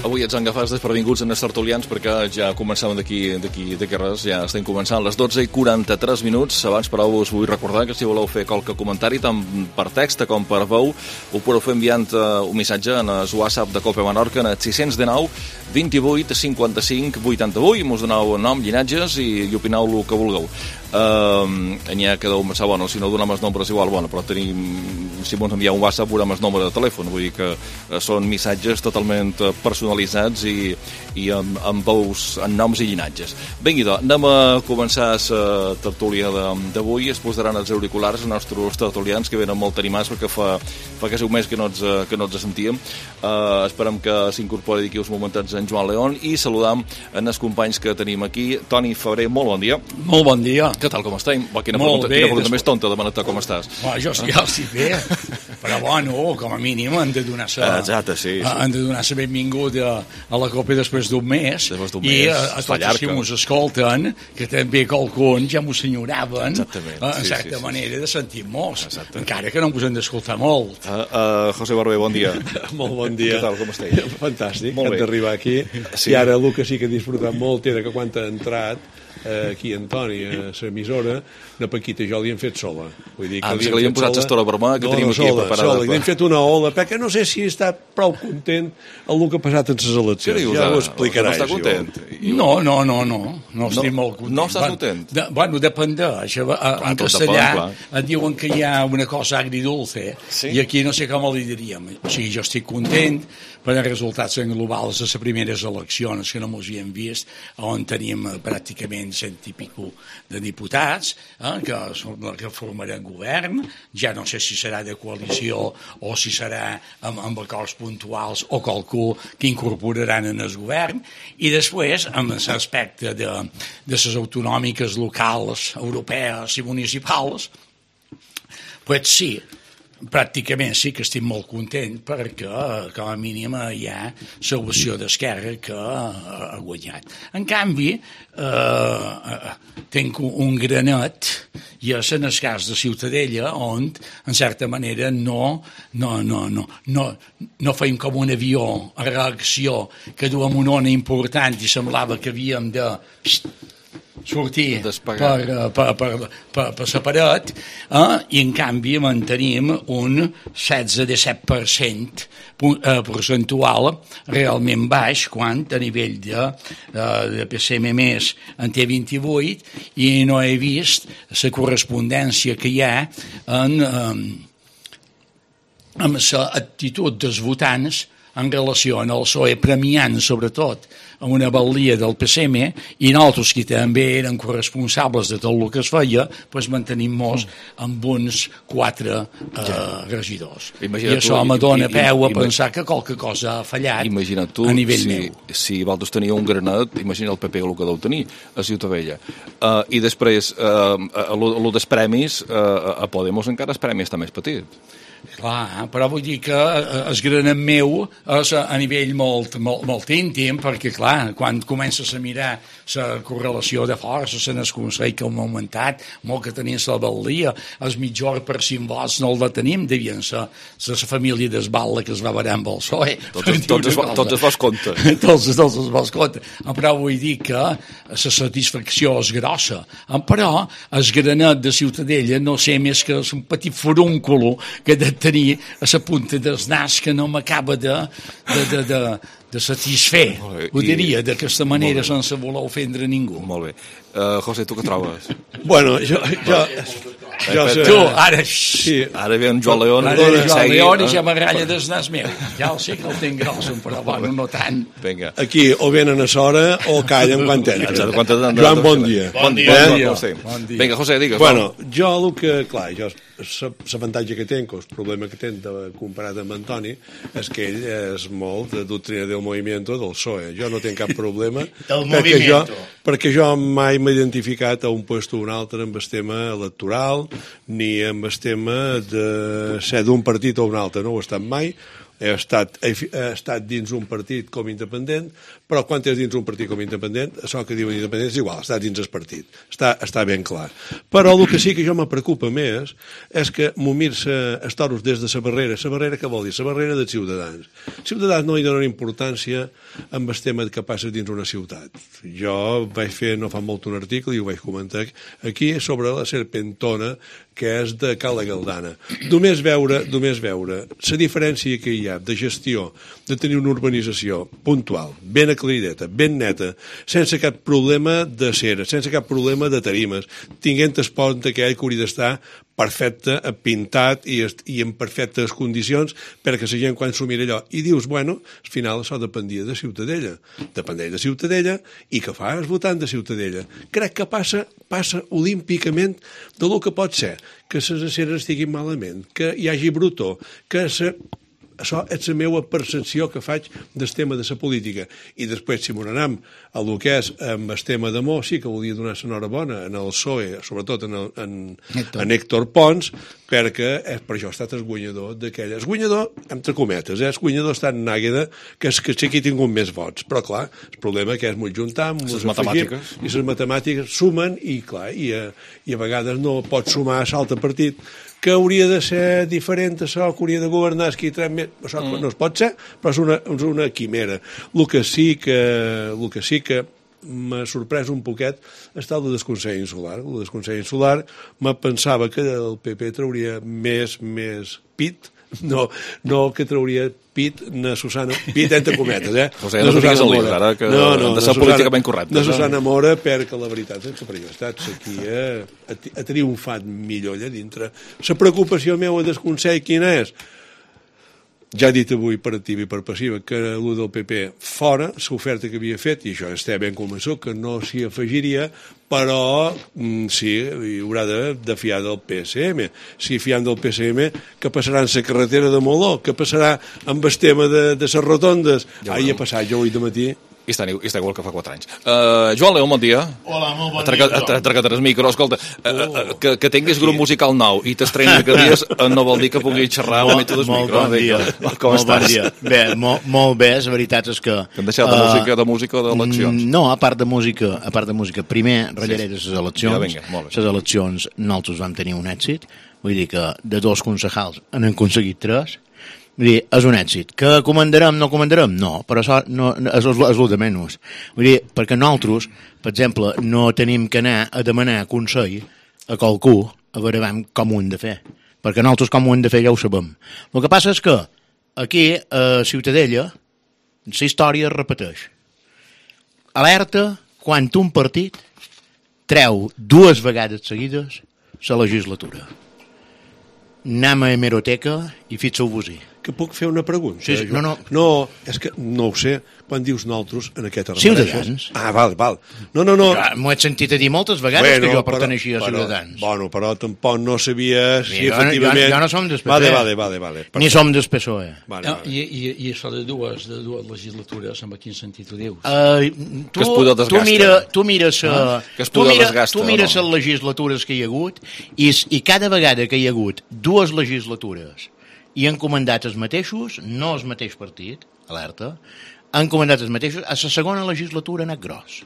Avui ets agafats desprevinguts en els tertulians perquè ja començàvem d'aquí res, ja estem començant a les 12:43 minuts. Abans, però, us vull recordar que si voleu fer qualque comentari, tant per text com per veu, ho podeu fer enviant un missatge en el WhatsApp de Cope Menorca en el 619 28 55 88. Mos doneu nom, llinatges i opineu el que vulgueu. N'hi ha que deu pensar, bueno, si no donem els nombres igual, bueno, però tenim, si ens enviar un WhatsApp veurem el nombre de telèfon, vull dir que són missatges totalment personalitzats i amb veus, en noms i llinatges. Vinga, doncs, anem a començar la tertúlia d'avui. Es posaran els auriculars als nostres tertulians que venen molt animats perquè fa quasi un mes que no ens sentíem. Esperem que s'incorpori d'aquí uns momentets en Joan León i saludam els companys que tenim aquí. Toni Febrer, molt bon dia. Molt bon dia. Què tal, com estem? Quina pregunta més tonta demanar-te com estàs. Jo ja estic bé, però bueno, com a mínim han de donar la benvinguda a la Copa després d'un mes i a tots els que ens escolten, que també qualcuns ja m'ho senyoraven, en certa manera de sentir-nos, encara que no ens hem d'escoltar molt. José Barber, bon dia. Molt bon dia. Què tal, com esteu? Fantàstic, hem d'arribar aquí. I ara el que sí que he disfrutat molt era que quan ha entrat aquí Antoni a l'emissora, la Paquita i jo li hem fet sola. Vull dir que li hem posat l'estora vermella que tenim aquí preparada. Li hem fet una ola, perquè no sé si està prou content el que ha passat en les eleccions. Ja ho explicarà. No està content? No estic molt content. No estàs content? Bueno, dependeix. En castellà et diuen que hi ha una cosa agridulce i aquí no sé com li diríem. O sigui, jo estic content per els resultats globals de les primeres eleccions que no mos hi hem vist, on tenim pràcticament 100 i pico de diputats que formaran govern. Ja no sé si serà de coalició o si serà amb acords puntuals o qualcú que incorporaran en el govern. I després, amb l'aspecte de les autonòmiques locals, europees i municipals, pues sí, pràcticament sí que estic molt content perquè com a mínim hi ha l'opció d'Esquerra que ha guanyat. En canvi, tinc un granet i és en el cas de Ciutadella on en certa manera no feim com un avió a reacció que duem una ona important i semblava que havíem de sortir per separat i en canvi mantenim un 16-17% percentual realment baix quan a nivell de PSM més en té 28 i no he vist la correspondència que hi ha amb l'actitud dels votants en relació al PSOE, premiant sobretot una valia del PSM i nosaltres que també eren corresponsables de tot el que es feia, doncs mantenim-nos amb uns 4 regidors. I això me dona peu a pensar que qualque cosa ha fallat a nivell meu. Si vosaltres teniu un granet, imagina el PP el que deu tenir a Ciutadella. I després, el dels premis, a Podemos encara el premi està més petit. Clar, però vull dir que el granet meu és a nivell molt íntim, perquè clar, quan comences a mirar la correlació de forces en el Consell que hem augmentat, molt que tenim la valia, el mitjor per 5 vots no el tenim, devien ser la família d'Esbala que es va veure amb el PSOE. Tots es vols compte. Tots es vols compte. Però vull dir que la satisfacció és grossa. Però el granet de Ciutadella no sé més que és un petit forúnculo que de tenir a la punta del nas que no m'acaba de satisfer, ho diria d'aquesta manera sense voler ofendre ningú. Molt bé. José, tu què trobes? Bueno, tu, ara... Sí. Ara ve en Joan León. Ara ve Joan León i ja m'agralla del nas meu. Ja el sé que el tinc gros, però bueno, no tant. Vinga. Aquí o venen a s'hora o callen quan tenen. Joan, bon dia. Bon dia. Vinga, José, digues. Bueno, jo el que... Clar, l'avantatge que tenc, o el problema que tenc comparat amb Antoni, és que ell és molt de doctrina del moviment del PSOE. Jo no tinc cap problema perquè jo mai m'he identificat a un lloc o un altre amb el tema electoral ni amb el tema de ser d'un partit o un altre. No ho he estat mai. he estat dins un partit com independent, però quan és dins un partit com independent, això que diuen independent és igual, està dins el partit. Està ben clar. Però el que sí que jo me preocupa més és que momir-se els toros des de la barrera. La barrera què vol dir? La barrera dels ciutadans. Els ciutadans no li donen importància amb el tema que passa dins una ciutat. Jo vaig fer no fa molt un article i ho vaig comentar aquí sobre la serpentona que és de Cala Galdana. Només veure la diferència que hi ha de gestió, de tenir una urbanització puntual, ben aclarideta, ben neta, sense cap problema de cera, sense cap problema de tarimes, tinguent el pont aquell que hauria d'estar perfecte, pintat i en perfectes condicions perquè la gent quan s'ho mira allò i dius, bueno, al final això dependia de Ciutadella. Dependeix de Ciutadella i què fa el votant de Ciutadella? Crec que passa olímpicament de lo que pot ser que les aceres estiguin malament, que hi hagi brutó, que això és la meva percepció que faig del tema de la política. I després, si m'ho anem a lo que és amb el tema d'amor, sí que volia donar l'enhorabona en el PSOE, sobretot en Héctor Pons, perquè per això ha estat el guanyador d'aquella. El guanyador, entre cometes, el guanyador ha estat Nágueda, que és que sí que ha tingut més vots. Però, clar, el problema que és molt juntar, les matemàtiques. I les matemàtiques sumen, i clar, i a vegades no pot sumar a l'altre partit, que hauria de ser diferent això, que hauria de governar això no es pot ser, però és una quimera. El que sí que m'ha sorprès un poquet està el del Consell Insular. El del Consell Insular me pensava que el PP trauria més pit, no que trauria pit na Susana, pit entre cometes, O sigui, no fiques el llibre, ara, que han de ser políticament correctes. Na Susana Mora, perquè la veritat és que per jo aquí ha triomfat millor allà dintre. La preocupació meva del Consell quina és? Ja he dit avui per activa i per passiva que el del PP fora, l'oferta que havia fet, i això està ben convençut que no s'hi afegiria, però sí, hi haurà de fiar del PSM. Si fiam del PSM, què passarà en la carretera de Moló? Què passarà amb el tema de les rotondes? Ahir ha passat jo avui de matí. I està igual que fa 4 anys. Joan Leó, bon dia. Hola, molt bon dia. Ha tregat el micro. Escolta, que tinguis grup musical nou i t'estrenis que dies no vol dir que pugui xerrar una mica del micro. Bon dia. Com estàs? Bon dia. Bé, molt bé, la veritat és que... Que hem deixat de música d'eleccions. No, a part de música. Primer, ratllaré de les eleccions. Ja, vinga, molt bé. Les eleccions nosaltres vam tenir un èxit. Vull dir que de 2 concejals han aconseguit 3. Vull dir, és un èxit. Que comandarem, no comandarem? No, però això no, és el de menys. Vull dir, perquè nosaltres, per exemple, no tenim que anar a demanar consell a qualcú a veure com ho hem de fer. Perquè nosaltres com ho hem de fer ja ho sabem. El que passa és que aquí, a Ciutadella, la història es repeteix. Alerta quan un partit treu 2 vegades seguides la legislatura. Anem a hemeroteca i fixeu-vos-hi. Que puc fer una pregunta? Sí, no. No, és que no ho sé. Quan dius nosaltres, en què te refereixes? Ciutadans. Val. No. M'ho he sentit a dir moltes vegades que jo perteneixia a Ciutadans. Bueno, però tampoc no sabia si efectivament... Jo no som del PP. Vale. Ni som del PSOE. Vale. I això de dues legislatures, en quin sentit ho dius? Tu mires les legislatures que hi ha hagut i cada vegada que hi ha hagut 2 legislatures i han comandat els mateixos, no el mateix partit, alerta, han comandat els mateixos, a la segona legislatura ha anat gros.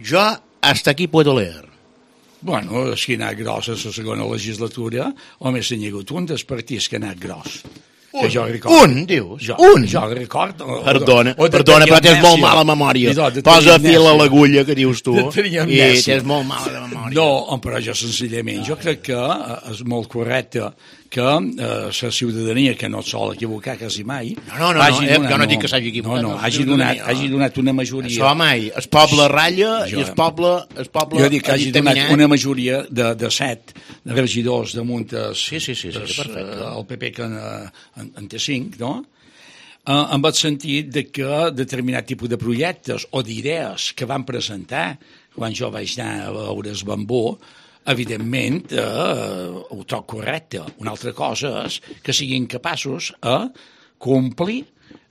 Jo hasta aquí puedo leer. Bueno, si ha anat gros a la segona legislatura, només n'hi ha hagut un dels partits que ha anat gros. Un, dius? Jo recordo. Perdona, però tens molt mala memòria. Posa fil a l'agulla, que dius tu, i tens molt mala memòria. No, però jo senzillament, jo crec que és molt correcte que la ciutadania, que no es sol equivocar quasi mai... No, jo no dic que s'hagi equivocat. No, hagi donat una majoria... Això mai, el poble ratlla i el poble jo dic que hagi donat una majoria de 7 regidors damunt sí, perfecte. El PP que en té 5, no? En el sentit de que determinat tipus de projectes o d'idees que van presentar quan jo vaig anar a veure el Bambó, evidentment ho trobo correcte. Una altra cosa és que siguin capaços a complir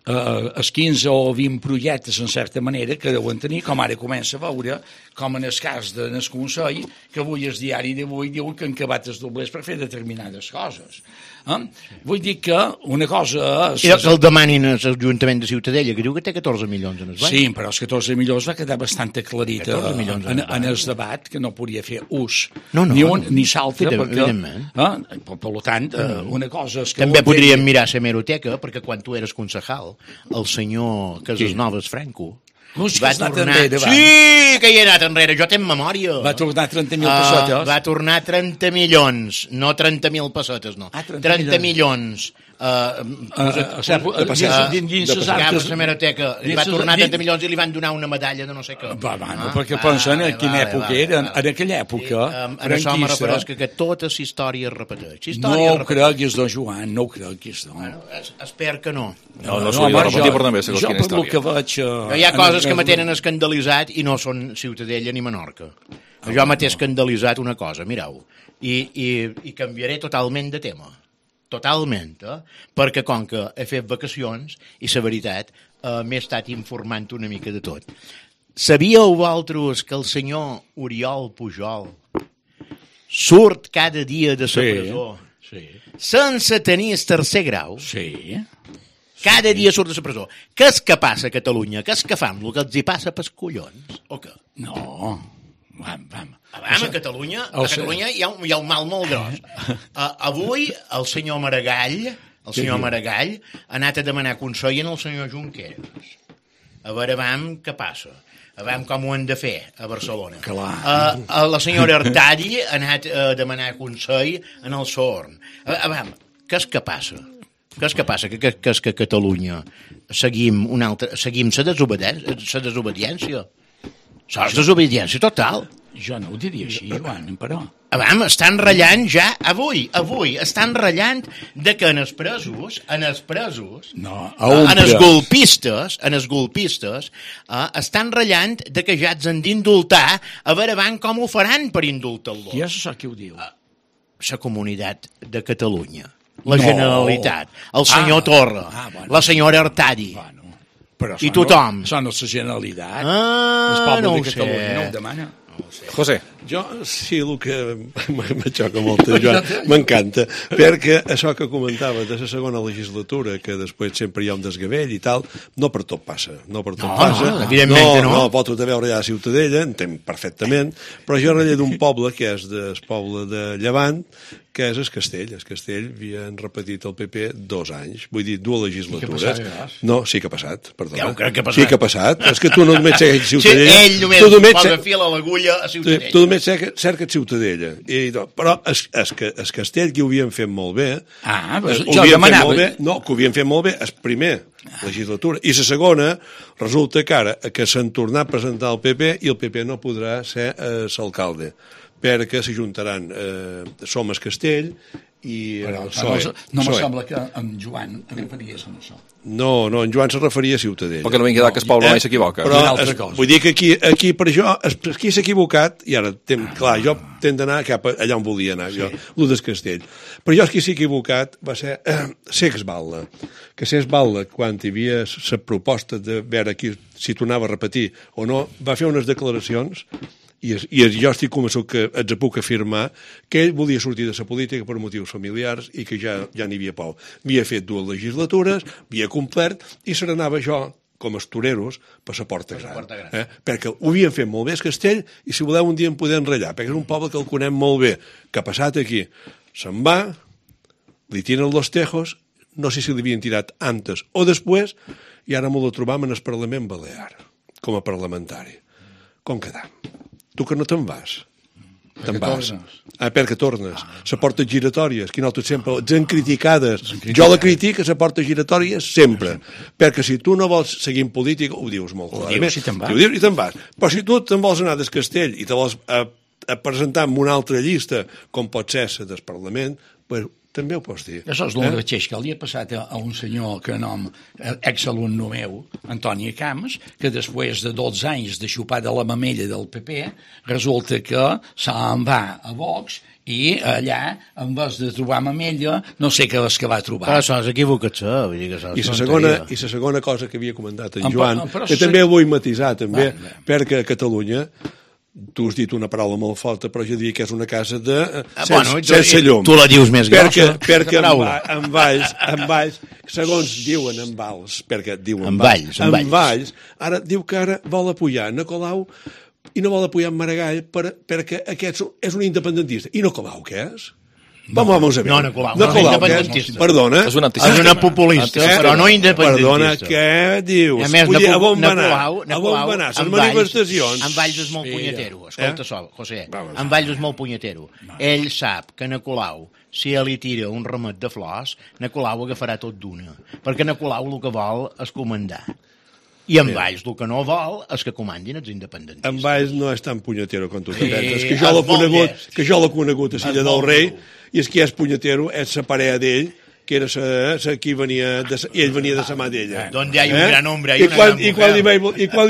els 15 o 20 projectes en certa manera que deuen tenir, com ara comença a veure com en el cas del Consell, que avui el diari d'avui diu que han acabat els doblers per fer determinades coses. Vull dir que una cosa... I que el demanin a l'Ajuntament de Ciutadella, que diu que té 14 milions en el banc. Sí, però els 14 milions va quedar bastant aclarit en el debat, que no podia fer ús ni un ni l'altre, perquè, per tant, una cosa és que... També podríem mirar la hemeroteca, perquè quan tu eres concejal, el senyor Casasnovas Franco va tornar... Sí, que hi ha anat enrere, jo tenc memòria. Va tornar 30.000 pessetes. Va tornar 30 milions, no 30.000 pessetes, no. 30 milions. Dins l'hemeroteca li va tornar 30 milions i li van donar una medalla de no sé què. Perquè pensen en quina època era. En aquella època, en això me refereix que tota la història es repeteix. No ho creguis, don Joan, no ho creguis. Espero que no. No s'hauria de repetir, però també segons quina història. Jo, per que veig... Hi ha coses que me tenen escandalitzat i no són Ciutadella ni Menorca. Jo m'he escandalitzat una cosa, mireu, i canviaré totalment de tema. Totalment, perquè com que he fet vacacions i la veritat m'he estat informant una mica de tot. Sabíeu vosaltres que el senyor Oriol Pujol surt cada dia de la presó sense tenir el tercer grau? Sí. Cada dia surt de la presó. Què és que passa a Catalunya? Què és que fan? El que els hi passa pels collons? O què? No. A Catalunya hi ha un mal molt gros. Avui el senyor Maragall ha anat a demanar consell al senyor Junqueras. A veure, què passa. A veure com ho hem de fer a Barcelona. La senyora Artadi ha anat a demanar consell en el Sorn. A veure, què és que passa? Què és que passa? Que és que a Catalunya seguim la desobediència? Això és desobediència total. Jo no ho diria així, Joan, però... Estan ratllant ja, avui, estan ratllant de que en els presos, en els golpistes, estan ratllant de que ja els han d'indultar, a veure com ho faran per indultar-los. Qui és això que ho diu? La Comunitat de Catalunya, la Generalitat, el senyor Torra, la senyora Artadi. I tothom. Això no és la Generalitat. El poble de Catalunya no ho demana. José. Jo, sí, el que me xoca molt, Joan, m'encanta, perquè això que comentava de la segona legislatura, que després sempre hi ha un desgavell i tal, no per tot passa, evidentment no. No, pot tot veure allà a Ciutadella, entenc perfectament, però jo rellé d'un poble que és el poble de Llevant, que és el Castell. El Castell havien repetit el PP 2 anys, vull dir, 2 legislatures. No, sí que ha passat, perdona. Ja ho crec que ha passat. Sí que ha passat. És que tu no només segueix Ciutadella. Sí, ell només posa fil a l'agulla a Ciutadella. Tu només cerques Ciutadella. Però el Castell, que ho havien fet molt bé... jo demanava... No, que ho havien fet molt bé, és primer legislatura. I la segona, resulta que ara que s'han tornat a presentar el PP i el PP no podrà ser l'alcalde, perquè s'ajuntaran Som el Castell i el PSOE. No me sembla que en Joan referies a això. No, en Joan se referia a Ciutadella. Perquè no vingui que el poble mai s'equivoca. Però vull dir que aquí per això, aquí s'ha equivocat, i ara, clar, jo tenc d'anar cap allà on volia anar, jo, el del Castell. Però jo qui s'ha equivocat va ser Sexbalda. Que Sexbalda, quan hi havia la proposta de veure si tornava a repetir o no, va fer unes declaracions i jo estic convençut que ens puc afirmar que ell volia sortir de la política per motius familiars i que ja n'hi havia prou. Havia fet 2 legislatures, havia complert i se n'anava jo com els toreros per la Porta Gran. Perquè ho havien fet molt bé el Castell i si voleu un dia en podem ratllar, perquè és un poble que el conem molt bé. Què ha passat aquí? Se'n va, li tiren los tejos, no sé si li havien tirat antes o després, i ara m'ho trobam en el Parlament Balear, com a parlamentari. Com quedam? Tu que no te'n vas. Te'n vas. Perquè tornes. La porta giratòries, que nosaltres sempre ens han criticades. Jo la critico, la porta giratòria, sempre. Perquè si tu no vols seguir en política, ho dius molt clarament. Ho dius i te'n vas. Però si tu te'n vols anar del Castell i te vols presentar en una altra llista, com pot ser la del Parlament, pues, també ho pots dir. Això és el mateix que li ha passat a un senyor que nom, exalumne meu, Antoni Camps, que després de 12 anys de xupar de la mamella del PP, resulta que se'n va a Vox i allà, en vez de trobar mamella, no sé què és que va trobar. Però això és equivocació. I la segona cosa que havia comentat en Joan, que també vull matisar, també, perquè a Catalunya tu has dit una paraula molt forta, però jo diria que és una casa sense llum. Tu la dius més grossa. Perquè en Valls, segons diuen en Valls, perquè diuen en Valls, ara diu que ara vol apoyar Nicolau i no vol apoyar en Maragall perquè aquest és un independentista. I Nicolau què és? Vamos a ver. No, Nicolau no és independentista. Perdona. És una populista, però no independentista. Perdona, què dius? A més, a on va anar? Les manifestacions. En Valls és molt punyetero. Escolta, José, en Valls és molt punyetero. Ell sap que Nicolau, si li tira un ramet de flors, Nicolau agafarà tot d'una. Perquè Nicolau el que vol és comandar. I en Valls el que no vol és que comandin els independentistes. En Valls no és tan punyetero com tu te penses, que jo l'he conegut a Silla del Rei, i és que és punyetero, és la parella d'ell, que era qui venia, i ell venia de sa mà d'ella. D'on hi ha un gran hombre i quan li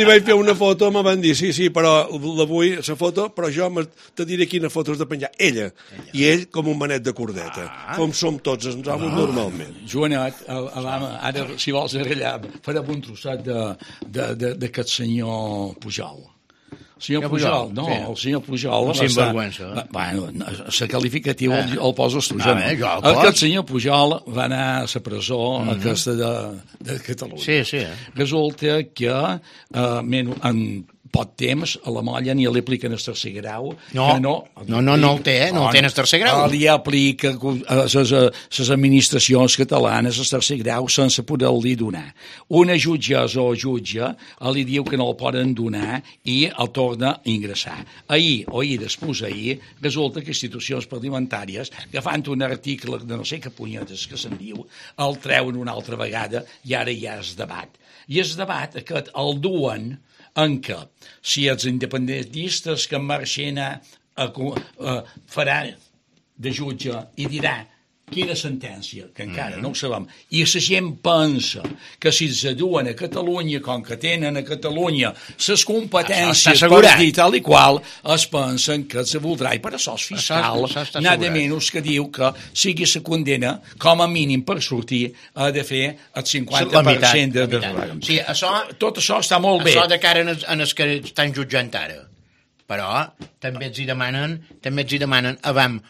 vaig fer una foto me van dir, sí, però la vull, la foto, però jo te diré quina foto has de penjar. Ella. I ell com un manet de cordeta, com som tots els homes normalment. Joanet, ara, si vols arrellar, farem un trosset d'aquest senyor Pujol. El senyor Pujol, no, el senyor Pujol... Sinvergüenza. Bueno, la qualificativa el poses tu, jo no. Aquest senyor Pujol va anar a la presó aquesta de Catalunya. Sí. Resulta que en poc temps a la molla ni li apliquen el tercer grau. No el té, no el té en el tercer grau. Li aplica a les administracions catalanes el tercer grau sense poder-li donar. Una jutgessa o jutge li diu que no el poden donar i el torna a ingressar. Després resulta que institucions parlamentàries, agafant un article de no sé què punyetes que se'n diu, el treuen una altra vegada i ara ja es debat. I es debat aquest el duen en què si els independentistes que marxen farà de jutge i dirà quina sentència, que encara no ho sabem, i la gent pensa que si es duen a Catalunya, com que tenen a Catalunya les competències per dir tal i qual, es pensen que se voldrà, i per això és fiscal, nada menys que diu que sigui la condena, com a mínim per sortir, ha de fer el 50% de... Sí, tot això està molt bé. Això de cara en els que estan jutjant ara. Però també els hi demanen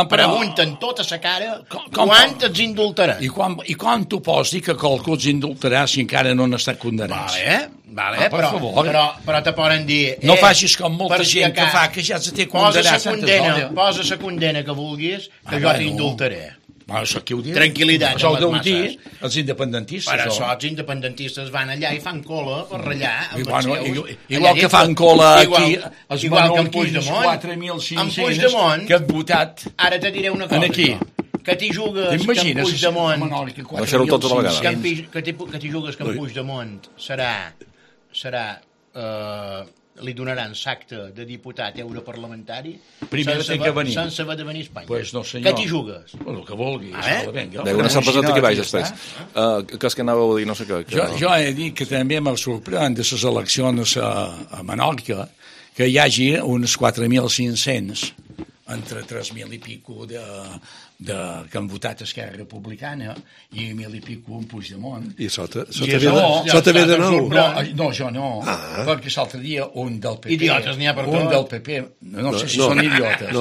pregunten tota la cara quant els indultaran. I quan tu pots dir que qualcú els indultarà si encara no han estat condemnats? Vale, però te poden dir... No facis com molta gent que fa, que ja se té condemnat. Posa la condena que vulguis, que jo t'indultaré. Això qui ho diu? Tranquil·litat. Això ho deu dir els independentistes. Per això els independentistes van allà i fan cola per ratllar amb els seus. Igual que fan cola aquí, els menorquins 4.500 que han votat. Ara te diré una cosa. Que t'hi jugues que en Puigdemont... Deixar-ho tot a la vegada. Que t'hi jugues que en Puigdemont serà... li donaran l'acte de diputat europarlamentari sense haver de venir a Espanya. Pues no, senyor. Què t'hi jugues? El que vulgui. Una cerveseta que vaig després. Que és que anàveu a dir no sé què. Jo he dit que també me sorprèn de les eleccions a Menorca que hi hagi uns 4.500 entre 3.000 i pico que han votat Esquerra Republicana i 1.000 i pico en Puigdemont. I sota ve de nou? No, jo no, perquè l'altre dia un del PP... Idiotes n'hi ha per tot. Un del PP, no sé si són idiotes.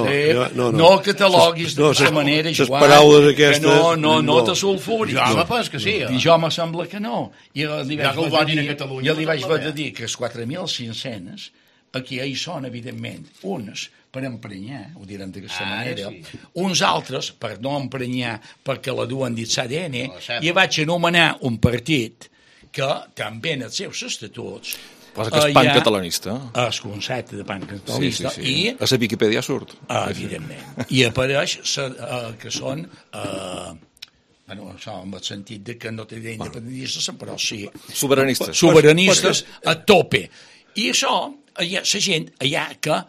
No cataloguis d'aquesta manera, Joan, que no te sulfuris. Jo penso que sí. I jo me sembla que no. I li vaig haver de dir que els 4.500 aquí hi són, evidentment, uns per emprenyar, ho direm d'aquesta manera, uns altres per no emprenyar perquè la duen dins l'ADN, i vaig anomenar un partit que també en els seus estatuts posa que és pancatalanista. El concepte de pancatalanista. Sí. A la Viquipèdia surt. Evidentment. I apareix que són... això en el sentit que no té independentistes, però sí... Soberanistes a tope. I això, hi ha la gent allà que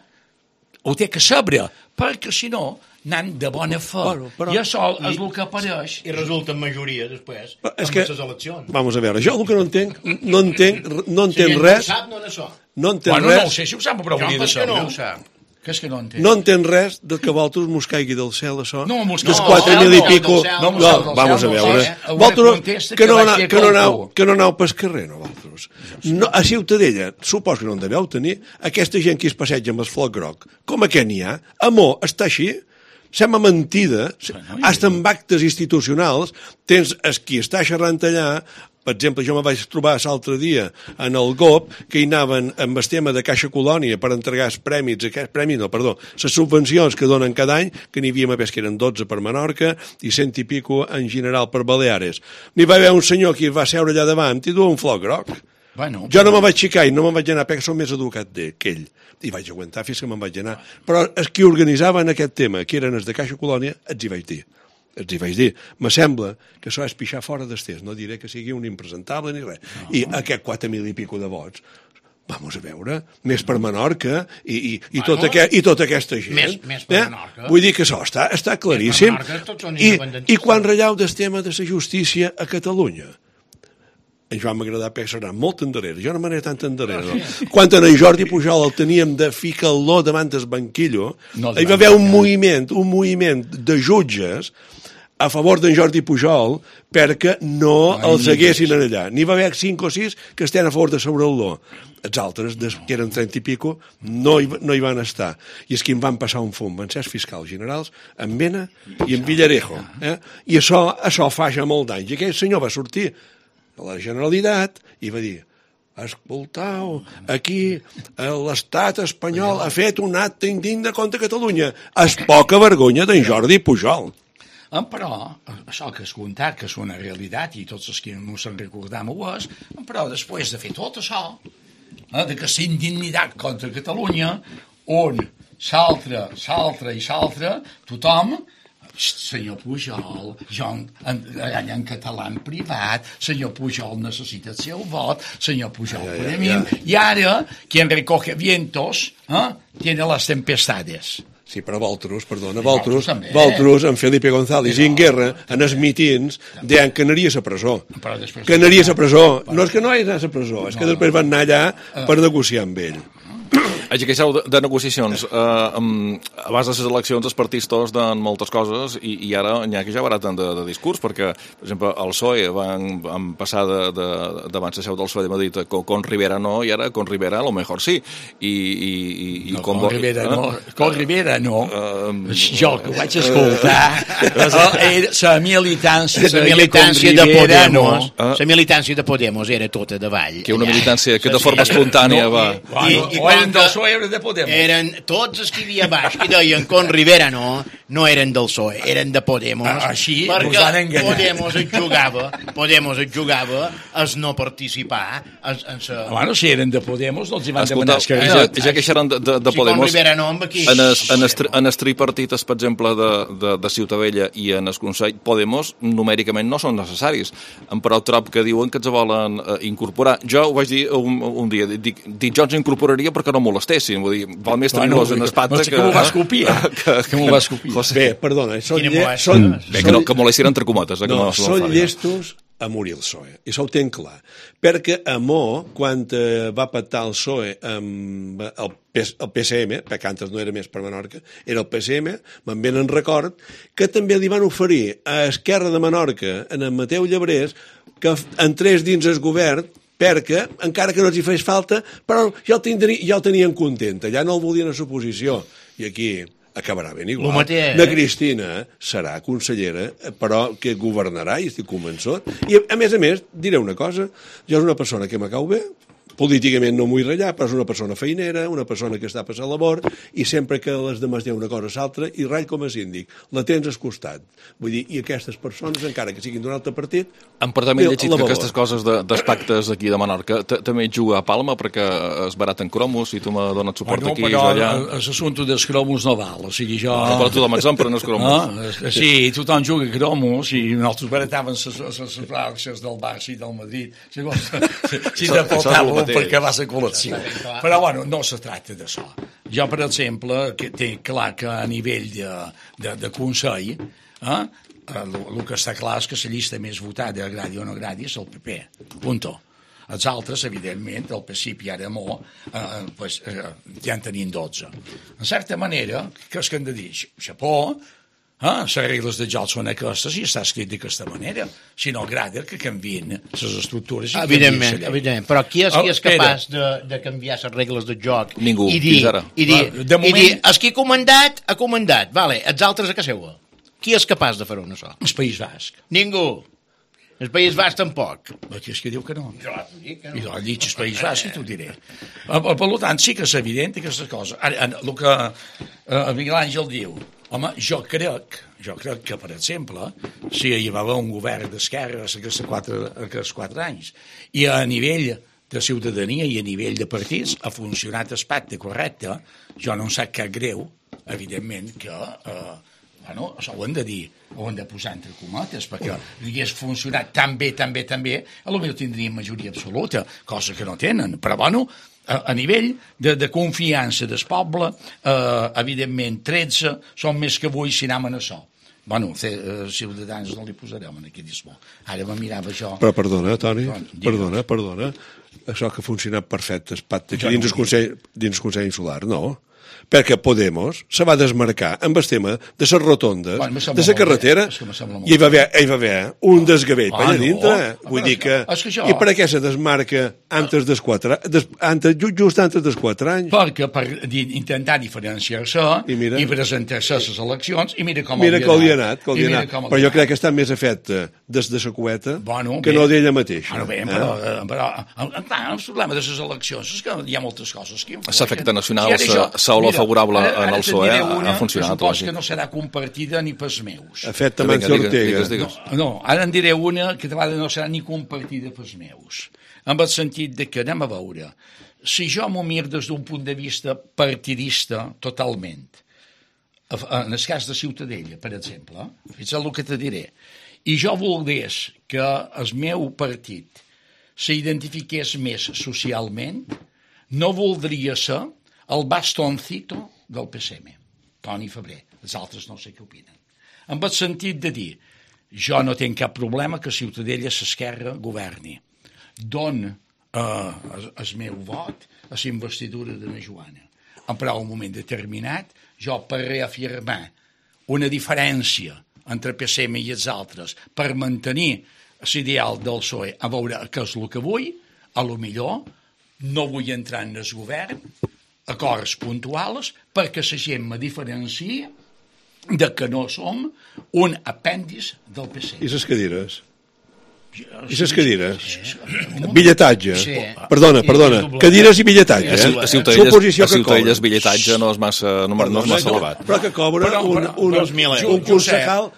ho té que saber, perquè si no anant de bona fe. I això és el que apareix. I resulta en majoria després, amb les eleccions. Vamos a veure, jo el que no entenc res... No sap, no en això. No entenc res... No ho sé si ho sap, però volia de saber. No ho sap. Què és que no entén? No entén res del que vosaltres mos caigui del cel, això. No, mos dels cau del 4.000 i cel, pico. no, Vamos a veure. Una Vosaltres contesta que no vaig fer aneu pel carrer, no, vosaltres. No, a Ciutadella, supos que no en deveu tenir, aquesta gent que es passeja amb el floc groc, com a què n'hi ha? Amor, està així? Sembla mentida, hasta en actes institucionals, tens qui està xerrant allà. Per exemple, jo me vaig trobar l'altre dia en el GOP que hi anaven amb el tema de Caixa Colònia per entregar els premis, les subvencions que donen cada any, que n'hi havia més que eren 12 per Menorca i 100 i pico en general per Baleares. N'hi va haver un senyor que va seure allà davant i duia un floc groc. Bueno, jo no me vaig xicar i no me'n vaig anar perquè som més educat que ell. I vaig aguantar fins que me'n vaig anar. Però els qui organitzaven aquest tema, que eren els de Caixa Colònia, els hi vaig dir, me sembla que això és pixar fora d'estès, no diré que sigui un impresentable ni res. I aquest 4.000 i pico de vots, vamos a veure, més per Menorca i tota aquesta gent. Més per Menorca. Vull dir que això està claríssim. I quan rellau del tema de la justícia a Catalunya, en Joan m'agrada perquè serà molt endarrere, jo no m'aniré tant endarrere. No? Quan en Jordi Pujol el teníem de ficar-lo davant del banquillo, hi va haver un moviment de jutges a favor d'en Jordi Pujol perquè no els haguessin allà. N'hi va haver 5 o 6 que estan a favor de sobre-lo. Els altres, que eren 30 i pico, no hi van estar. I és que em van passar un fum. Van ser els fiscals generals en Mena i en Villarejo. I això fa ja molt d'anys. I aquell senyor va sortir a la Generalitat i va dir: escoltau, aquí l'estat espanyol ha fet un acte indigne contra Catalunya. És poca vergonya d'en Jordi Pujol. Però, això que has contat, que és una realitat, i tots els que no se'n recordam ho és, però després de fer tot això, de que s'indignitat contra Catalunya, on s'altra, tothom, senyor Pujol, jo en català en privat, senyor Pujol necessita el seu vot, senyor Pujol per a mi, i ara, quien recoge vientos, tiene las tempestades. Sí, però vosaltres, en Felipe González i en Guerra, en els mitins, deien que anaria a la presó. Que anaria a la presó. No és que no hagi anat a la presó, és que després van anar allà per negociar amb ell. Haig que això de negociacions, abans de les eleccions els partits tots dan moltes coses i ara n'hi ha que ja baraten de discurs, perquè, per exemple, el PSOE van passar davant la seu del PSOE de Madrid con Rivera no, i ara con Rivera a lo mejor sí. Con Rivera no. Jo que ho vaig escoltar, la militància de Podemos, la militància de Podemos era tota de vall. Que una militància que de forma espontània va... I quan del PSOE era de Podemos. Eren tots els que hi havia baix que deien con Rivera no eren del PSOE, eren de Podemos. Així perquè Podemos es jugava a no participar en sa... Bueno, si eren de Podemos, no els hi van demanar esquerdat. Ja que xeran de Podemos, en el tripartit, per exemple, de Ciutadella i en el Consell, Podemos numèricament no són necessaris, però trob que diuen que els volen incorporar. Jo ho vaig dir un dia, dic, jo els incorporaria perquè no molestessin, vull dir, val més tenir-los en espatlla que m'ho vas copiar. Que m'ho vas copiar. Bé, perdona, que molestin entre cometes. Són llestos a morir el PSOE, i això ho tenc clar, perquè Amó, quan va pactar el PSOE amb el PSM, perquè antes no era més per Menorca, era el PSM, me'n ve en record, que també li van oferir a Esquerra de Menorca, en el Mateu Llebrés, que entrés dins el govern, perquè, encara que no els hi fes falta, però ja el tenien content, ja no el volien a l'oposició, i aquí acabarà ben igual. La Cristina serà consellera, però que governarà, i estic convençut. I, a més, diré una cosa, jo és una persona que me cau bé, políticament no m'ho vull ratllar, però és una persona feinera, una persona que està a passar labor, i sempre que les demés diuen una cosa o l'altra, i ratll com a síndic, la tens al costat. Vull dir, i aquestes persones, encara que siguin d'un altre partit... Em porta també llegit que aquestes coses dels pactes aquí de Menorca també juga a Palma perquè es baraten cromos i tu m'ha donat suport aquí i jo allà. Però l'assumpte dels cromos no val, o sigui, jo... Però tothom ens empren els cromos. Sí, tothom juga a cromos i nosaltres baratàvem les fraccions del Barça i del Madrid. Si te faltava perquè va ser col·lecció. Però, bueno, no se tracta d'això. Jo, per exemple, que té clar que a nivell de Consell, el que està clar és que la llista més votada, agradi o no agradi, és el PP. Punto. Els altres, evidentment, el principi ara mo, ja en tenien 12. En certa manera, què és que hem de dir? Xapó, les regles de joc són aquestes i està escrit d'aquesta manera. Si no agrada, que canvien les estructures. Evidentment, però qui és capaç de canviar les regles de joc? Ningú, fins ara. I dir, el qui ha comandat, vale, els altres a casa seva. Qui és capaç de fer-ho això? El País Basc. Ningú. El País Basc tampoc. Aquí és que diu que no. Jo t'ho dic, que no. I l'ha dit el País Basc i t'ho diré. Per tant, sí que és evident aquesta cosa. Ara, el que Miguel Àngel diu, home, jo crec que, per exemple, si hi va haver un govern d'esquerra aquests 4 anys i a nivell de ciutadania i a nivell de partits ha funcionat el pacte correcte, jo no em sap cap greu, evidentment, que això ho hem de dir, ho hem de posar entre cometes, perquè hagués funcionat tan bé, potser tindrien majoria absoluta, cosa que no tenen, però a nivell de confiança del poble, evidentment 13 són més que 8 si anem a això. Ciutadans no li posarem en aquest dismo. Ara me mirava jo... Però perdona, Toni, perdona. Això que ha funcionat perfecte, es pacte dins el Consell Insular, no? Perquè Podemos se va desmarcar amb el tema de les rotondes, de la carretera, i hi va haver un desgavell allà dintre. Vull dir que... I per què se desmarca just antes dels 4 anys? Perquè per intentar diferenciar-se i presentar-se a les eleccions, i mira com li ha anat. Però jo crec que està més efecte des de la cueta que no d'ella mateixa. Però el problema de les eleccions és que hi ha moltes coses que... L'efecte nacional s'ha favorable en el PSOE ha funcionat. Suposo que no serà compartida ni pels meus. Efecte Mancio Ortega. No, ara en diré una que no serà ni compartida pels meus. En el sentit de que, anem a veure, si jo m'ho mir des d'un punt de vista partidista totalment, en el cas de Ciutadella, per exemple, és el que te diré, i jo volgués que el meu partit s'identifiqués més socialment, no voldria ser el bastoncito del PSM, Toni Febrer. Els altres no sé què opinen. En el sentit de dir, jo no tinc cap problema que Ciutadella s'esquerra governi. Don el meu vot a la investidura de la Joana. Però en un moment determinat, jo per reafirmar una diferència entre PSM i els altres, per mantenir l'ideal del PSOE, a veure què és el que vull, a lo millor no vull entrar en el govern, acords puntuals, perquè la gent me diferencia de que no som un apèndix del PC. I les cadires? I les cadires? Billetatge. Perdona. Cadires i billetatge. A Ciutadelles billetatge no és massa elevat. Però que cobra un concejal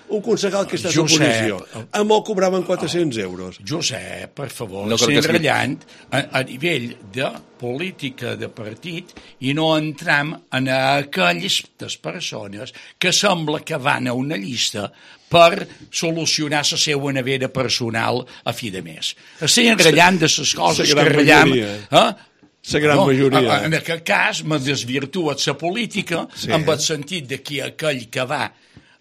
que està a l'oposició. A molt cobraven 400 euros. Josep, per favor, s'enratllant a nivell de política de partit i no entram en aquelles persones que sembla que van a una llista per solucionar la seva nevera personal a fi de mes. Estic enratllant de les coses que ratllem... La gran majoria. En aquest cas, me desvirtua la política amb el sentit de que aquell que va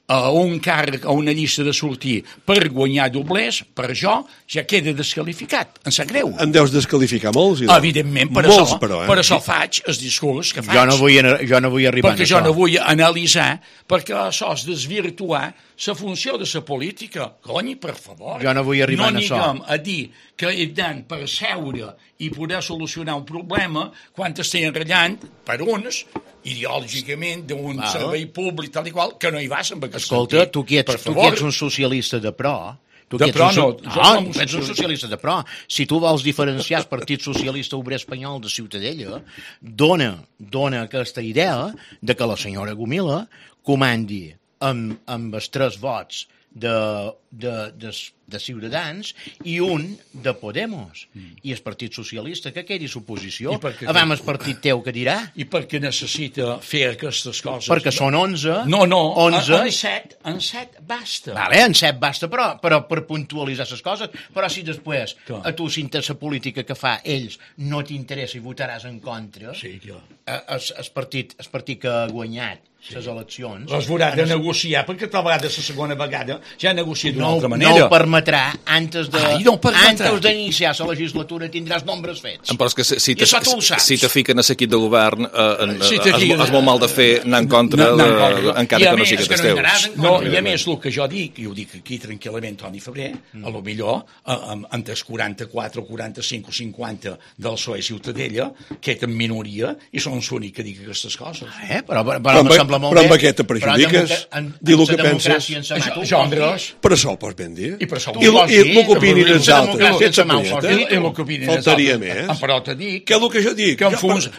a un càrrec, a una llista de sortir per guanyar doblers, per jo, ja queda desqualificat. Em sap greu. Em deus desqualificar molts? Evidentment, per això faig el discurs que faig. Jo no vull arribar perquè jo no vull analitzar, perquè això és desvirtuar la funció de la política. Cony, per favor. Jo no vull arribar a això. No anem a dir que he d'anar per seure i poder solucionar un problema quan estem enratllant per uns ideològicament d'un servei públic tal i qual, que no hi vas amb aquest Escolta, tu qui ets un socialista de pro. Ets un socialista de pro. Si tu vols diferenciar el Partit Socialista Obrer Espanyol de Ciutadella, dona aquesta idea de que la senyora Gomila comandi amb els 3 vots de Ciutadans i un de Podemos. I el Partit Socialista que quedi l'oposició. Abans el partit teu que dirà? I perquè necessita fer aquestes coses. Perquè són 11. No, 11. En 7 basta. Vale, en 7 basta, però per puntualitzar les coses. Però si després a tu, si la política que fa ells no t'interessa i votaràs en contra, el partit que ha guanyat les eleccions... Les veurà de negociar, perquè tal vegada la segona vegada ja ha negociat d'una altra manera. No ho permetrà antes d'iniciar la legislatura tindràs nombres fets. Però és que si te fiquen a l'equip de govern és molt mal de fer anar en contra encara que no siguin els teus. I a més, el que jo dic, i ho dic aquí tranquil·lament, Toni Febrer, a lo millor entre els 44 o 45 o 50 del PSOE Ciutadella, que és en minoria, i són l'únic que dic aquestes coses. Però em sembla molt bé. Però amb aquest te perjudiques, dir el que penses. Jo, Andrés. Per això ho pots ben dir. I per això I el que opinin els altres. Faltaria més. Però te dic... Que és el que jo dic.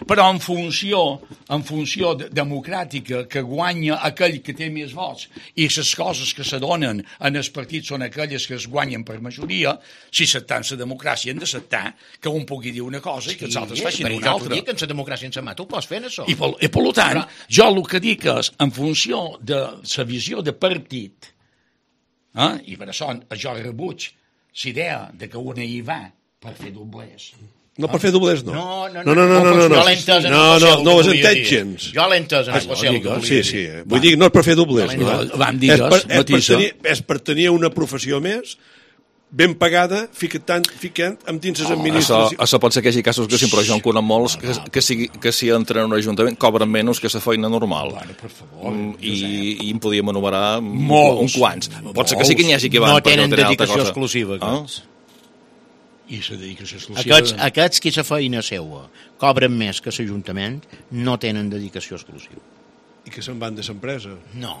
Però en funció democràtica que guanya aquell que té més vots i les coses que se donen en els partits són aquelles que es guanyen per majoria, si s'accepta la democràcia hem d'acceptar que un pugui dir una cosa i que els altres facin una altra. Però jo dic que en la democràcia en sa mà tu pots fer això. I per tant, jo el que dic és, en funció de la visió de partit, i per això jo rebuig l'idea que una hi va per fer doblers. No, per fer doblers no. No. No ho has entès gens. Jo l'he entès en especial. Sí. Vull dir, no és per fer doblers. És per tenir una professió més ben pagada, ficant amb dins les administracions. Això pot ser que hi hagi casos que sí, però jo en conec molts que si entren en un ajuntament cobren menys que la feina normal. Per favor. I en podíem enumerar uns quants. Pot ser que sí que n'hi hagi que van no tenen dedicació exclusiva. I la dedicació exclusiva... Aquests que la feina seua cobren més que l'Ajuntament no tenen dedicació exclusiva. I que se'n van de l'empresa? No.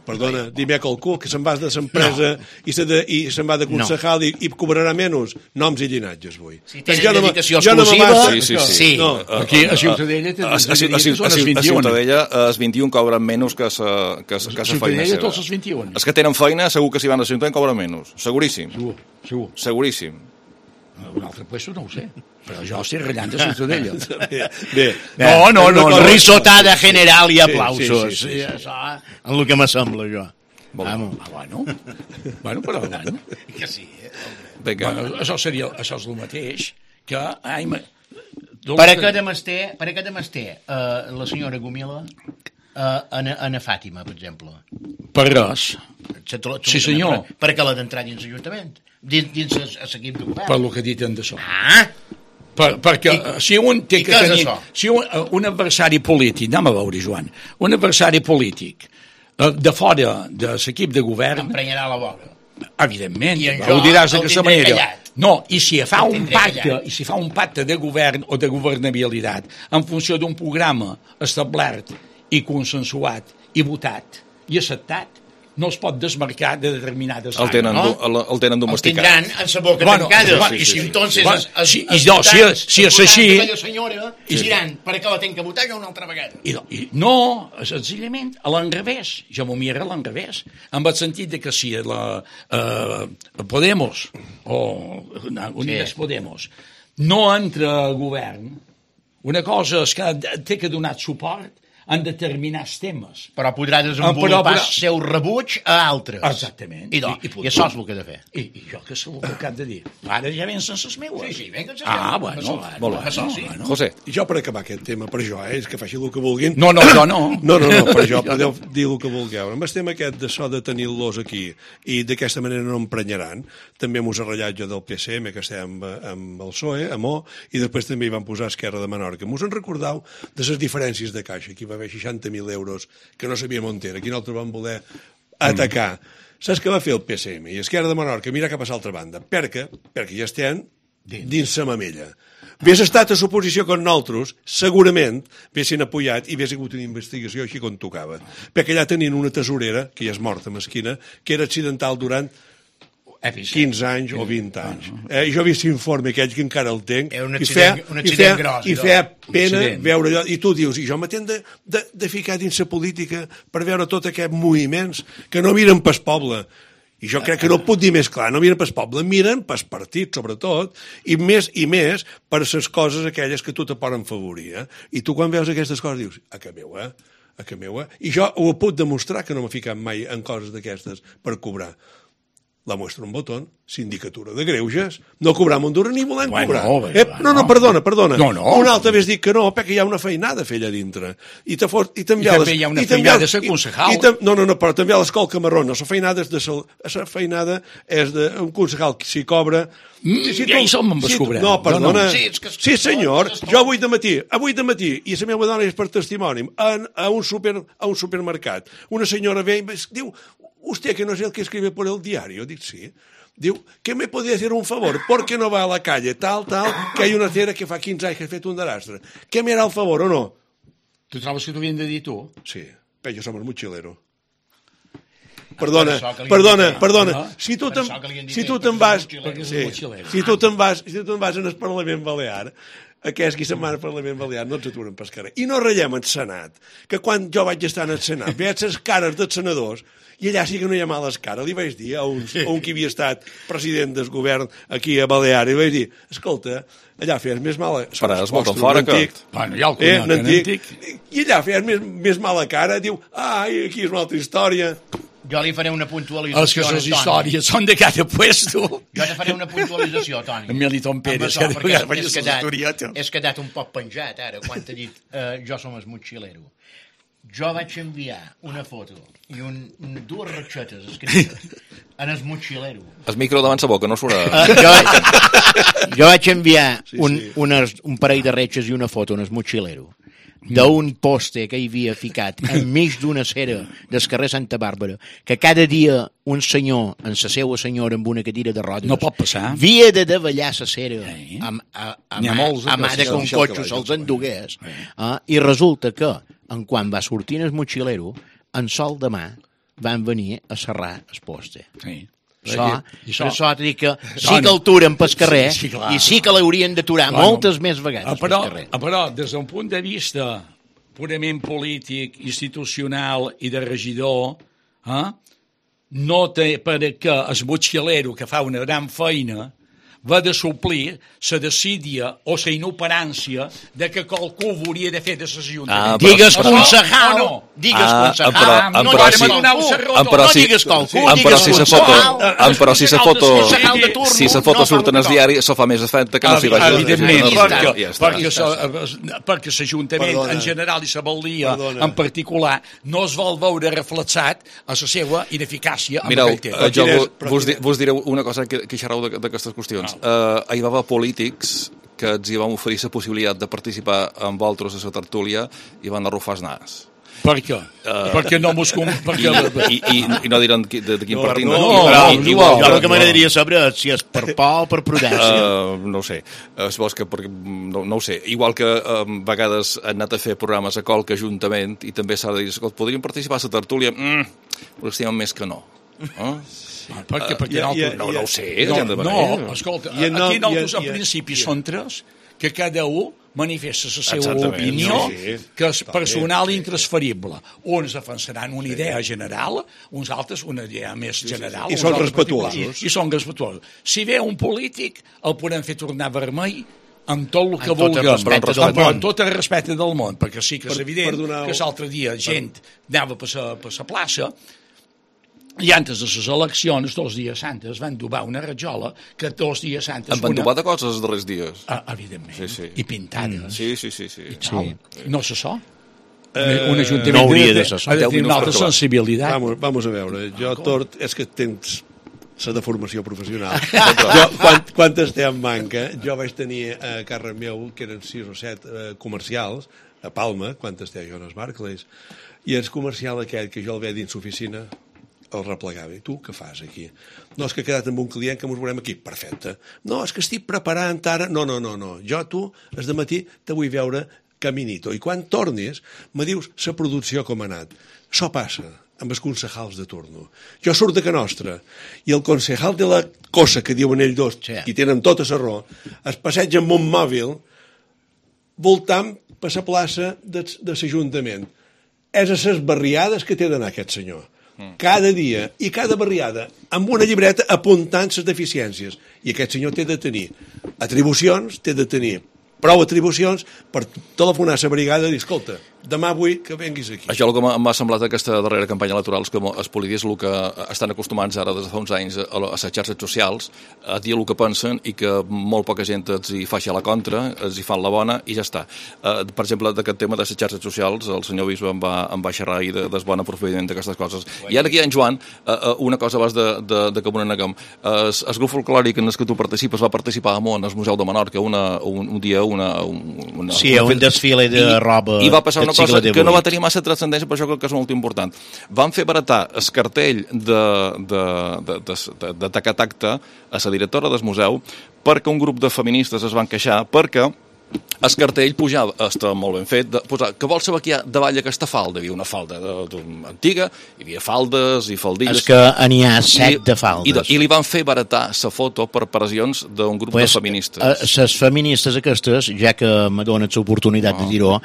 Perdona, dime qualcú que se'n va de l'empresa i se'n va de concejal i cobrarà menys noms i llinatges, vull. Si tenen dedicació exclusiva... Sí. Aquí a Ciutadella a Ciutadella els 21 cobren menys que la feina seva. Ciutadella tots els 21. Els que tenen feina segur que si van a Ciutadella cobren menys. Seguríssim. Segur. Seguríssim. Un altre puesto no ho sé, però jo estic ratllant de Ciutadella. Bé. No, risotada general i aplausos. Sí. Això, en el que me sembla, jo. Bueno, però bueno. Que sí, això és el mateix que... Per a què demés té la senyora Gomila a Fàtima, per exemple? Per res. Sí, senyor. Per què l'ha d'entrar dins l'Ajuntament? Dins l'equip de govern? Per lo que he dit en d'això. Perquè si un té que tenir... Si un adversari polític, anem a veure, Joan, un adversari polític de fora de l'equip de govern... Emprenyarà la boca. Evidentment, ho diràs d'aquesta manera. No, i si fa un pacte de govern o de governabilitat en funció d'un programa establert i consensuat i votat i acceptat, no es pot desmarcar de determinades àrees. El tenen domesticat. El tindran en sa boca tancada. I si entonces... Si és així... I diran, per què la tenc que votar jo una altra vegada? No, senzillament, a l'enrevés. Jo m'ho miro a l'enrevés. En el sentit que si la Podemos o Unides Podemos no entra a govern, una cosa és que té que donar suport en determinats temes. Però podrà desenvolupar el seu rebuig a altres. Exactament. I això és el que he de fer. I jo que és el que he de dir. Ara ja vencen les meues. Sí, venga, bueno. José. Jo per acabar aquest tema, per jo, és que faci el que vulguin. No, per jo podeu dir el que vulgueu. Amb el tema aquest de so de tenir-los aquí i d'aquesta manera no emprenyaran, també amb un ratllatge del PSM, que estem amb el PSOE, amb O, i després també hi van posar Esquerra de Menorca. M'us en recordeu de les diferències de caixa. Aquí va haver 60.000 euros que no sabíem on era. Aquí nosaltres vam voler atacar. Saps què va fer el PSM i Esquerra de Menorca? Mira cap a l'altra banda. Perquè ja estem dins la mamella. Hagués estat a suposició que nosaltres, segurament, haguessin apoyat i hagués hagut una investigació així com tocava. Perquè allà tenien una tesorera, que ja és morta, mesquina, que era accidental durant 15 anys o 20 anys. Jo he vist l'informe aquell que encara el tenc i feia pena veure allò, i tu dius, i jo m'atent de ficar dins la política per veure tot aquests moviments que no miren pas poble, i jo crec que no ho puc dir més clar, no miren pas poble, miren pas partit, sobretot, i més per les coses aquelles que tu te poden favorir, i tu quan veus aquestes coses dius, a que meu, i jo ho puc demostrar que no m'he ficat mai en coses d'aquestes per cobrar. la muestra un botón, sindicatura de greuges, no cobram un duro ni volem cobrar. No, perdona. Un altre vés dit que no, perquè hi ha una feinada a fer allà dintre. I també hi ha una feinada de ser concejal. Però també a l'escola Camarrona, la feinada és d'un concejal que s'hi cobra... Ja hi som amb escobrar. No, perdona. Sí, senyor, jo avui de matí, i la meva dona és per testimoni, a un supermercat, una senyora ve i diu: usted que no es el que escribe por el diario. Dic, sí. Diu, ¿qué me podría hacer un favor? ¿Por qué no va a la calle tal, que hay una cera que fa 15 anys que ha fet un desastre? ¿Qué me hará el favor o no? Tu trobes que t'ho havien de dir tu? Sí, però jo som el mochilero. Perdona. Si tu te'n vas en el Parlament Balear, aquest qui se'n va al Parlament Balear no ens aturen pel carrer. I no ratllem el Senat, que quan jo vaig estar en el Senat veig les cares dels senadors i allà sí que no hi ha males cares. Li vaig dir a un que havia estat president del govern aquí a Balear, i vaig dir, escolta, allà feies més mala... Faràs molt fora que... Bueno, ja el conec, antic. I allà feies més mala cara, diu, ai, aquí és una altra història. Jo li faré una puntualització. És que les històries són de cada puesto. Jo li faré una puntualització, Toni. En Militon Pérez, és quedat un poc penjat, ara, quan t'he dit jo som el motxilero. Jo vaig enviar una foto i dues ratxetes escrites en el motxilero. El micro davant sa boca, no surt... Jo vaig enviar un parell de ratxes i una foto en el motxilero d'un poste que hi havia ficat enmig d'una cera del carrer Santa Bàrbara, que cada dia un senyor amb la seva senyora amb una cadira de rodes no pot passar, havia de davallar la cera a mà de que un cotxe se'ls endugués, i resulta que en quan va sortir el motxilero, en sol de mà van venir a serrar el poste. Això t'he dit que sí que el turen pel carrer i sí que l'haurien d'aturar moltes més vegades pel carrer. Però des d'un punt de vista purament polític, institucional i de regidor, no té per què el motxilero, que fa una gran feina, va de suplir la desídia o la inoperància de que qualcú hauria de fer de l'Ajuntament. Digues concejal, digues concejal, no digues qualcú, però si la foto surt en el diari, això fa més efecte que no s'hi vagi. Evidentment, perquè l'Ajuntament en general i la Valdia en particular no es vol veure reflexat a la seva ineficàcia. Mireu, jo vos diré una cosa que xerrau d'aquestes qüestions. Hi va haver polítics que ens hi vam oferir la possibilitat de participar amb vosaltres a la tertúlia i van arrufar el nas. Per què? Perquè no mos... I no diran de quin partit. Jo el que m'agradaria saber és si és per por o per prudència. No ho sé. No ho sé. Igual que a vegades han anat a fer programes a qualque ajuntament i també s'ha de dir, escolta, podríem participar a la tertúlia? Ho estimem més que no. Perquè no ho sé. No, escolta, aquí nosaltres en principi són tres, que cada un manifesta la seva opinió, que és personal i intransferible. Uns defensaran una idea general, uns altres una idea més general. I són respetuosos. I són respetuosos. Si ve un polític, el podem fer tornar vermell amb tot el que vulguem, amb tot el respecte del món, perquè sí que és evident que l'altre dia gent anava per la plaça i antes de les eleccions, 2 dies antes, van dubar una rajola que 2 dies antes... En van dubar de coses els darrers dies. Evidentment. I pintades. Sí. No se so? Un ajuntament ha de tenir una altra sensibilitat. Vamos a veure, jo tort és que tens la deformació professional. Quan estem en banca, jo vaig tenir a càrrec meu, que eren 6 o 7 comercials, a Palma, quan estem jo en els Barclays, i el comercial aquell que jo el veia dins l'oficina el replegava. I tu què fas aquí? No, és que he quedat amb un client que ens veurem aquí. Perfecte. No, és que estic preparant ara... No. Jo, tu, el dematí, te vull veure caminito. I quan tornis, me dius la producció com ha anat. Això passa amb els concejals de turno. Jo surt de que nostra i el concejal de la cosa que diuen ells dos, i tenen tota la raó, es passeja amb un mòbil voltant per la plaça de l'Ajuntament. És a les barriades que té d'anar aquest senyor. Cada dia i cada barriada amb una llibreta apuntant les deficiències, i aquest senyor té de tenir atribucions, té de tenir prou atribucions per telefonar a la brigada i dir, escolta, demà vull que venguis aquí. Això el que m'ha semblat aquesta darrera campanya electoral és que els polítics el que estan acostumats ara des de fa uns anys a les xarxes socials a dir el que pensen i que molt poca gent els hi faci a la contra, els hi fan la bona i ja està. Per exemple, d'aquest tema de les xarxes socials, el senyor Bisbe em va xerrar ahir del bon aprofitament d'aquestes coses. I ara aquí, en Joan, una cosa abans de que m'ho neguem. El grup folclòric en el que tu participes va participar al Museu de Menorca un dia, sí, un desfile de roba. I va passar una cosa que no va tenir massa transcendència, però això crec que és molt important. Van fer baratar el cartell de Tacatacta a la directora del museu perquè un grup de feministes es van queixar perquè el cartell pujava, està molt ben fet, que vols saber què hi ha davall aquesta falda? Hi havia una falda antiga, hi havia faldes i faldilles. És que n'hi ha 7 de faldes. I li van fer baratar la foto per pressions d'un grup de feministes. Les feministes aquestes, ja que m'adones l'oportunitat de dir-ho,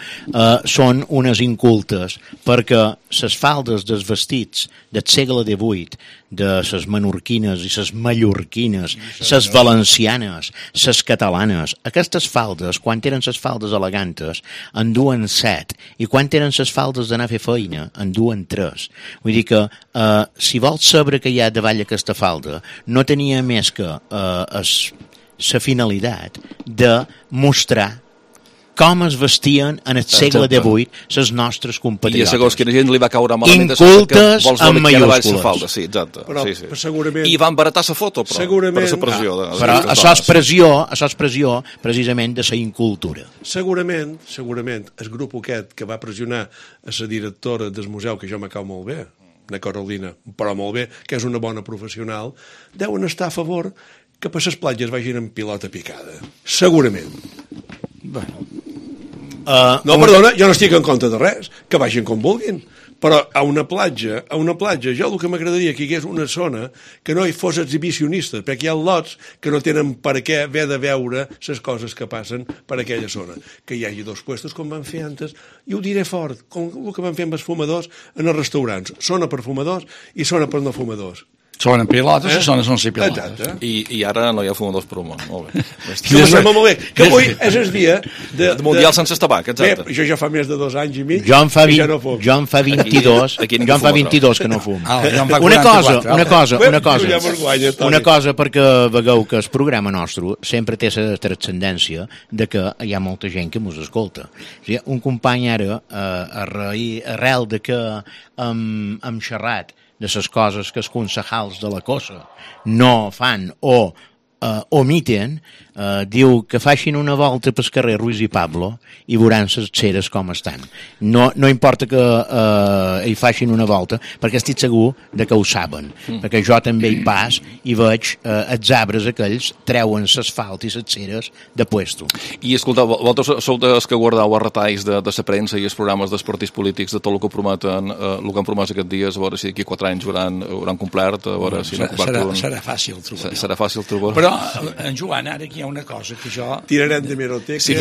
són unes incultes, perquè les faldes dels vestits del segle XVIII, de les menorquines i les mallorquines, les valencianes, les catalanes, aquestes faldes, quan eren les faldes elegantes, en duen 7, i quan eren les faldes d'anar a fer feina, en duen 3. Vull dir que, si vols saber què hi ha davall aquesta falda, no tenia més que la finalitat de mostrar com es vestien en el segle XVIII les nostres compatriotes. I segons quina gent li va caure malament incultes amb mayúscules. Sí, exacte. Però, segurament... I van baratar la foto, però, segurament, per la pressió. Però això és pressió precisament de la incultura. Segurament, el grup aquest que va pressionar a la directora del museu, que jo me cau molt bé, la Carolina, però molt bé, que és una bona professional, deuen estar a favor que per les platges vagin amb pilota picada. Segurament. Bueno... no, perdona, jo no estic en contra de res, que vagin com vulguin, però a una platja, jo el que m'agradaria que hi hagués una zona que no hi fos exhibicionista, perquè hi ha lots que no tenen per què haver de veure les coses que passen per aquella zona. Que hi hagi 2 puestos, com van fer antes, i ho diré fort, com el que van fer amb els fumadors en els restaurants. Zona per fumadors i zona per no fumadors. Sonen pilotes o sonen sense pilotes. I ara no hi ha fumadors per un món. Molt bé. Molt bé. Que avui és el dia de Mundial sense tabac, exacte. Bé, jo ja fa més de 2 anys i mig jo en fa 22 que no fum. Una cosa perquè vegeu que el programa nostre sempre té la transcendència de que hi ha molta gent que mos escolta. O sigui, un company ara, arrel de que hem xerrat de les coses que els concejals de la cosa no fan o omiten, diu que facin una volta pel carrer Ruiz i Pablo i veuran les ceres com estan. No importa que hi facin una volta, perquè estic segur de que ho saben, perquè jo també hi pas i veig els arbres aquells treuen l'asfalt i les ceres de puesto. I escolta, vosaltres sou dels que guardeu els retalls de la premsa i els programes dels partits polítics de tot el que prometen, el que han promès aquests dies, a veure si d'aquí 4 anys hauran complert, a veure si no complert. Serà fàcil trobar. Serà fàcil trobar. Però, en Joan, ara aquí hi ha una cosa que jo... Tirarem de meroteca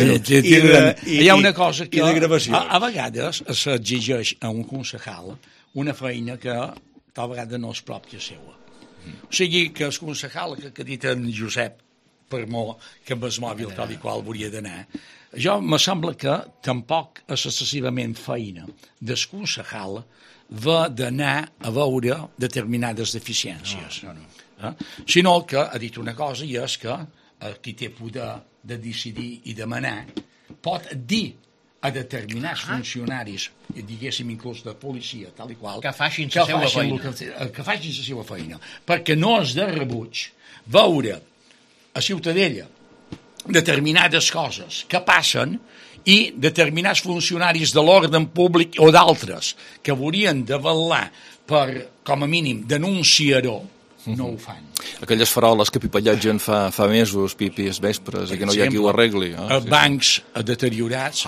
hi ha una cosa que de gravació. A vegades s'exigeix a un concejal una feina que tal vegada no és pròpia seva. O sigui, que el concejal que ha dit en Josep, per molt que amb el mòbil tal i qual hauria d'anar, jo me sembla que tampoc és excessivament feina del concejal d'anar a veure determinades deficiències. Sinó que ha dit una cosa i és que qui té poder de decidir i demanar pot dir a determinats funcionaris, diguéssim inclús de policia, tal i qual, que facin la seva feina. Que facin la seva feina. Perquè no és de rebuig veure a Ciutadella determinades coses que passen i determinats funcionaris de l'ordre públic o d'altres que haurien de vetllar per, com a mínim, denunciar-ho, no ho fan. Aquelles faroles que pipallegen fa mesos, pipis vespres, i que no hi ha qui ho arregli. Bancs deteriorats,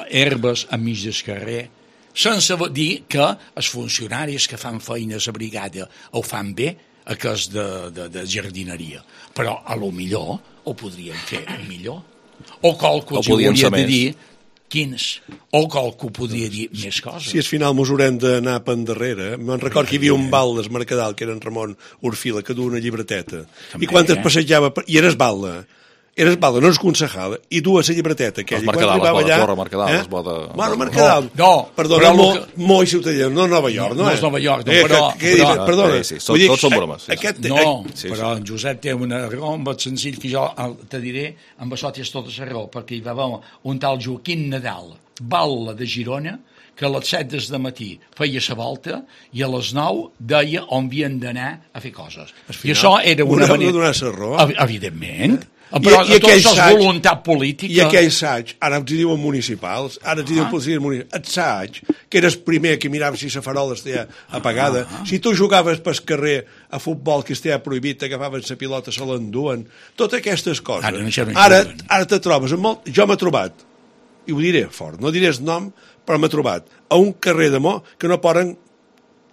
herbes enmig del carrer, sense dir que els funcionaris que fan feines a brigada ho fan bé, que és de jardineria. Però a lo millor ho podrien fer millor. O qualque els hauria de dir quins, o qualque podria dir més coses. Si al final mos haurem d'anar per endarrere, me'n record que hi havia un bal del Mercadal, que era en Ramon Orfila, que duia una llibreteta. I quan es passejava, i era balda, eres balda, no eres concejal, i dues la llibreteta aquella. Els Mercadal, es vota... Bueno, Mercadal. No, perdona, Moi Ciutadella, no Nova York, no? No és Nova York, però... Perdona. Tots són bromes. No, però en Josep té una raó, amb el senzill que jo te diré, amb això tens tota la raó, perquè hi va haver un tal Joaquim Nadal, batlle de Girona, que a les 7 del matí feia la volta i a les 9 deia on havien d'anar a fer coses. I això era una manera... Donar la raó. Evidentment. Però tot això és voluntat política. I aquell saig, ara els diuen municipals, ara els diuen policies municipals, el saig, que eres primer que miraves si la farola estava apagada, si tu jugaves pel carrer a futbol que estava prohibit, t'agafaves la pilota, se l'enduen, totes aquestes coses. Ara te trobes amb molt... Jo m'he trobat, i ho diré fort, no diré el nom, però m'he trobat a un carrer de Mo que no poden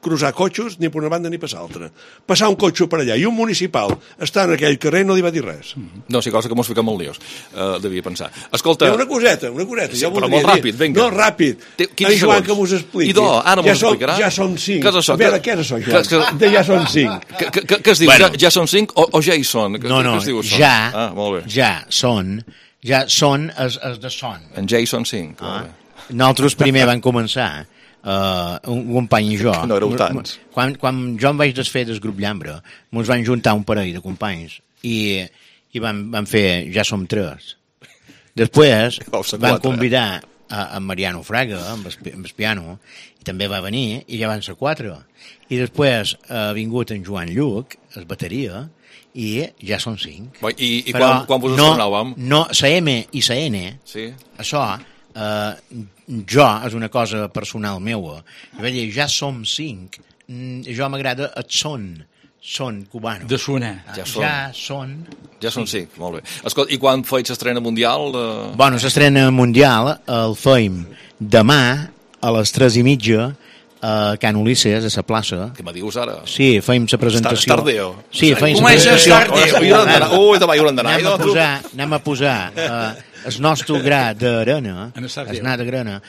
cruzar cotxos ni per una banda ni per l'altra. Passar un cotxe per allà i un municipal està en aquell carrer i no li va dir res. No, sí, cosa que mos fiquem molt liós, devia pensar. Escolta... Una coseta. Sí, però molt ràpid, vinga. No, ràpid. En Joan que m'ho expliqui. Idò, ara m'ho explicarà. Ja són 5. Què és això? A veure, què és això, Joan? Ja són 5. Què es diu? Ja són 5 o ja hi són? No, ja són els de son. En ja hi són 5. Nosaltres primer vam començar un company i jo. No éreu tants. Quan jo em vaig desfer del grup Llambra, ens van juntar un parell de companys i vam fer Ja som 3. Després van convidar a Mariano Fraga amb el piano i també va venir i ja van ser 4. I després ha vingut en Joan Lluc, el bateria, i ja són 5. I quan vos estrenàvem? No, la M i la N, això... jo, és una cosa personal meua, jo vaig dir, ja som 5, jo m'agrada el son cubano. De sonar. Ja són 5, molt bé. Escolta, i quan feis l'estrena mundial? Bueno, l'estrena mundial el feim demà a les 3:30 a Can Ulisses, a la plaça. Què me dius ara? Sí, feim la presentació. Estardeo. Sí, feim la presentació. Ui, demà hi hauran d'anar. Anem a posar el nostre gra d'arena, el gra d'arena,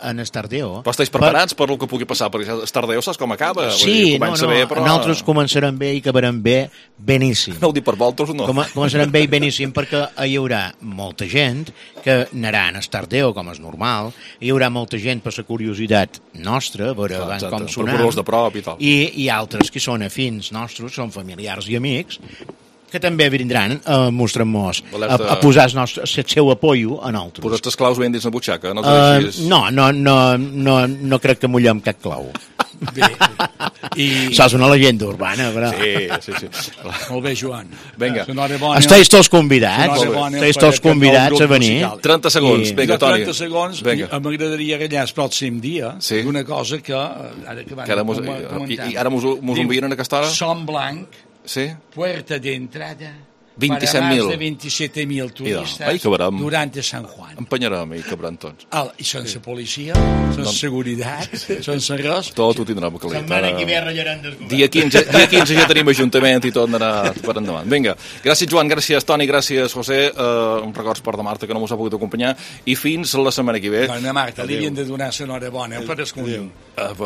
en Estardeo. Però estàs preparats per el que pugui passar? Perquè Estardeo saps com acaba? Sí, nosaltres començarem bé i acabarem bé beníssim. No ho dic per voltes, no? Començarem bé i beníssim perquè hi haurà molta gent que anarà en Estardeo, com és normal, hi haurà molta gent per la curiositat nostra, a veure com sonem, de prop i tal. I altres que són afins nostres, són familiars i amics, que també vindran a mostrar-nos, a posar el seu apoio a nosaltres. Posar els claus ben dins la butxaca? No crec que mullem cap clau. Bé. Això és una llegenda urbana, però... Sí. Molt bé, Joan. Vinga. Esteu tots convidats a venir. 30 segons, vinga, Toni. 30 segons, m'agradaria gallar el pròxim dia d'una cosa que... I ara mos envien en aquesta hora? Som Blanc, puerta d'entrada... 27.000. Para más de 27.000 turistas durante San Juan. Empenyarem i cabran tots. I sense policia, sense seguretat, sense res. Tot ho tindrem calent. Setmana que ve rallaran des Dia 15 ja tenim ajuntament i tot anarà per endavant. Vinga, gràcies Joan, gràcies Toni, gràcies José, un records per de Marta que no mos ha pogut acompanyar i fins la setmana que ve. Bona Marta, li havien de donar l'enhorabona per escollir. Per la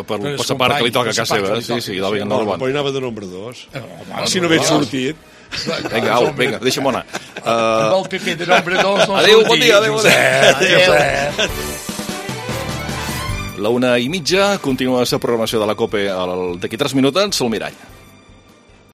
part que li toca a casa seva. Sí, l'enhorabona. Però anava de nombre 2. Si no hagués sortit... Vinga, deixa'm anar. Amb el PP de nombre 2 no adéu, bon dia, adéu. La 1:30 continua la programació de la COPE d'aquí 3 minuts, el Mirall.